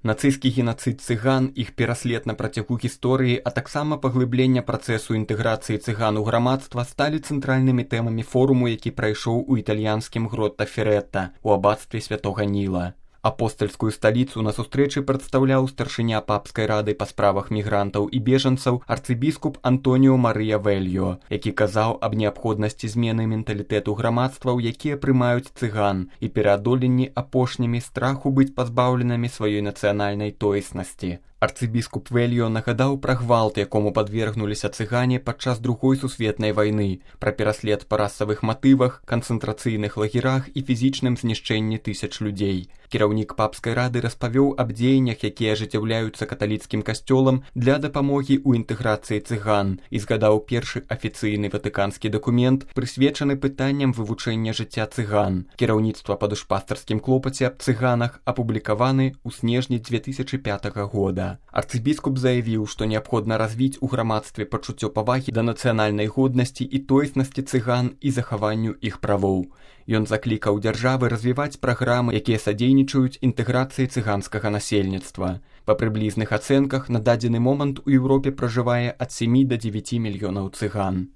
Нацысцкі генацыд цыган, іх пераслед на працягу гісторыі, а таксама паглыблення працэсу інтэграцыі цыган у грамадства сталі цэнтральнымі тэмамі форуму, які прайшоў у італьянскім Гротта-Феретта у абацтве Святога Ніла. Апостальскую сталіцу на сустрэчы прадстаўляў старшыня папскай рады па справах мігрантаў і бежанцаў арцыбіскуп Антоніо Марыя Вельё, які казаў аб неабходнасці змены менталітэту грамадстваў, якія прымаюць цыган, і пераадоленні апошнімі страху быць пазбаўленымі сваёй нацыянальнай тоеснасці. Арцыбіскуп Вельё нагадаў пра гвалт, якому падвергнуліся цыгане падчас Другой сусветнай вайны, пра пераслед па расавых матывах, канцэнтрацыйных лагерах і фізічным знішчэнні тысяч людзей. Кіраўнік папскай рады распавёў аб дзеяннях, якія ажыццяўляюцца каталіцкім касцёлам для дапамогі ў інтэграцыі цыган, і згадаў першы афіцыйны ватыканскі дакумент, прысвечаны пытанням вывучэння жыцця цыган. Кіраўніцтва па душпастарскім клопаце аб цыганах апублікаваны ў снежні 2005 года. Арцыбіскуп заявіў, што неабходна развіць у грамадстве пачуццё павагі да нацыянальнай годнасці і тоеснасці цыган і захаванню іх правоў. Ён заклікаў дзяржавы развіваць праграмы, якія садзейнічаюць інтэграцыі цыганскага насельніцтва. Па прыблізных ацэнках, на дадзены момант у Еўропе пражывае ад 7 да 9 мільёнаў цыган.